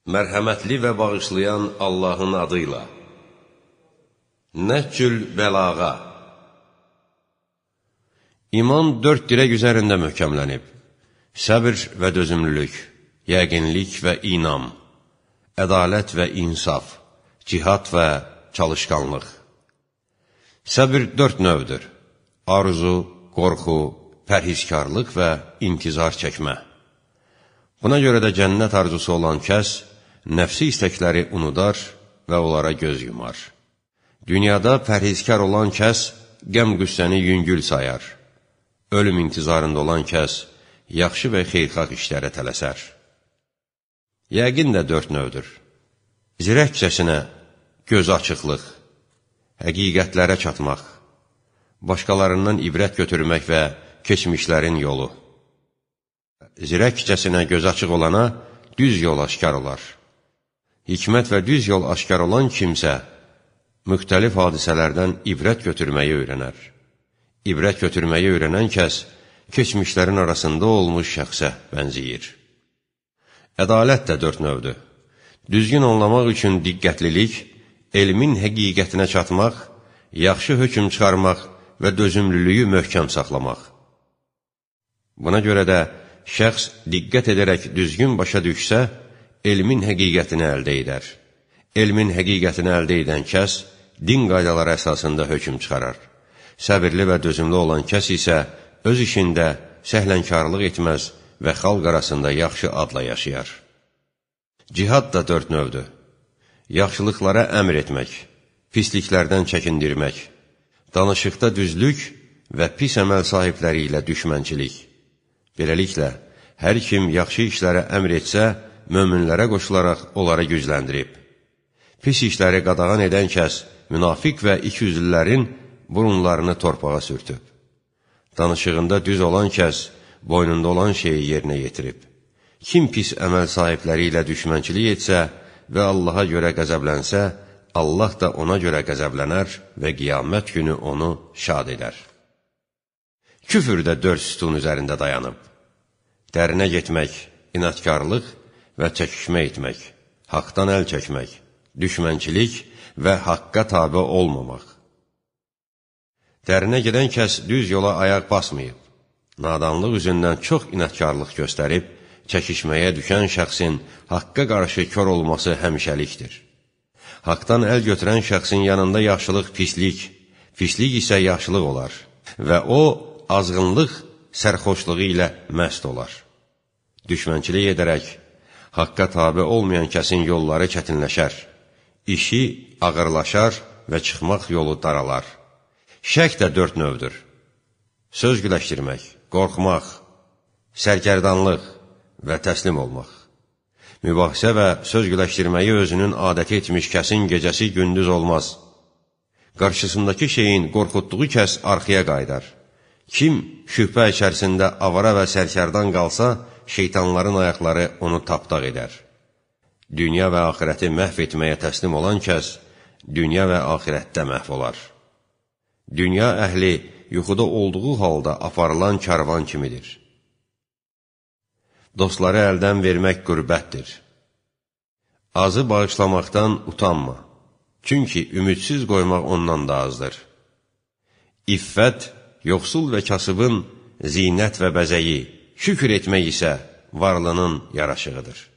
Mərhəmətli və bağışlayan Allahın adıyla. Nəhcül bəlağa. İman 4 dirək üzərində möhkəmlənib. Səbr və dözümlülük, yəqinlik və inam, ədalət və insaf, cihad və çalışqanlıq. Səbr 4 növdür. Arzu, qorxu, pərhizkarlıq və intizar çəkmə. Buna görə də cənnət arzusu olan kəs, nəfsi istəkləri unudar və onlara göz yumar. Dünyada pərhizkar olan kəs, qəm-qüssəni yüngül sayar. Ölüm intizarında olan kəs, yaxşı və xeyrxalq işlərə tələsər. Yəqin də 4 növdür. Zirəkcəsinə göz açıqlıq, həqiqətlərə çatmaq, başqalarından ibrət götürmək və keçmişlərin yolu. Zirəkcəsinə göz açıq olana düz yol aşkar olar. Hikmət və düz yol aşkar olan kimsə, müxtəlif hadisələrdən ibrət götürməyi öyrənər. İbrət götürməyi öyrənən kəs, keçmişlərin arasında olmuş şəxsə bənziyir. Ədalət də 4 növdür. Düzgün anlamaq üçün diqqətlilik, elmin həqiqətinə çatmaq, yaxşı hökm çıxarmaq və dözümlülüyü möhkəm saxlamaq. Buna görə də şəxs diqqət edərək düzgün başa düşsə, elmin həqiqətini əldə edər. Elmin həqiqətini əldə edən kəs, din qaydaları əsasında hökm çıxarar. Səbirli və dözümlü olan kəs isə öz işində səhlənkarlıq etməz və xalq arasında yaxşı adla yaşayar. Cihad da 4 növdür. Yaxşılıqlara əmr etmək, pisliklərdən çəkindirmək, danışıqda düzlük və pis əməl sahibləri ilə düşmənçilik. Beləliklə, hər kim yaxşı işlərə əmr etsə, möminlərə qoşularaq onları gücləndirib. Pis işləri qadağan edən kəs, münafiq və ikiyüzlülərin burunlarını torpağa sürtüb. Danışığında düz olan kəs, boynunda olan şeyi yerinə yetirib. Kim pis əməl sahibləri ilə düşmənçilik etsə və Allaha görə qəzəblənsə, Allah da ona görə qəzəblənər və qiyamət günü onu şad edər. Küfür də 4 sütun üzərində dayanıb. Dərinə getmək, inatkarlıq və çəkişmə etmək, haqdan əl çəkmək, düşmənçilik və haqqa tabe olmamaq. Dərinə gedən kəs düz yola ayaq basmayıb. Nadanlıq üzündən çox inatkarlıq göstərib, çəkişməyə düşən şəxsin haqqa qarşı kör olması həmişəlikdir. Haqdan əl götürən şəxsin yanında yaxşılıq pislik, pislik isə yaxşılıq olar və o, azğınlıq sərxoşluğu ilə məst olar. Düşmənçilik edərək, haqqa tabe olmayan kəsin yolları çətinləşər, işi ağırlaşar və çıxmaq yolu daralar. Şək də 4 növdür. Söz güləşdirmək, qorxmaq, sərgərdanlıq və təslim olmaq. Mübahisə və söz güləşdirməyi özünün adəti etmiş kəsin gecəsi gündüz olmaz. Qarşısındakı şeyin qorxutduğu kəs arxaya qaydar. Kim şübhə içərisində avara və sərkərdan qalsa, şeytanların ayaqları onu tapdaq edər. Dünya və axirəti məhv etməyə təslim olan kəs, dünya və axirətdə məhv olar. Dünya əhli yuxuda olduğu halda aparılan karvan kimidir. Dostları əldən vermək qürbətdir. Azı bağışlamaqdan utanma, çünki ümidsiz qoymaq ondan da azdır. İffət, yoxsul və kasıbın zinət və bəzəyi, şükür etmək isə varlının yaraşığıdır.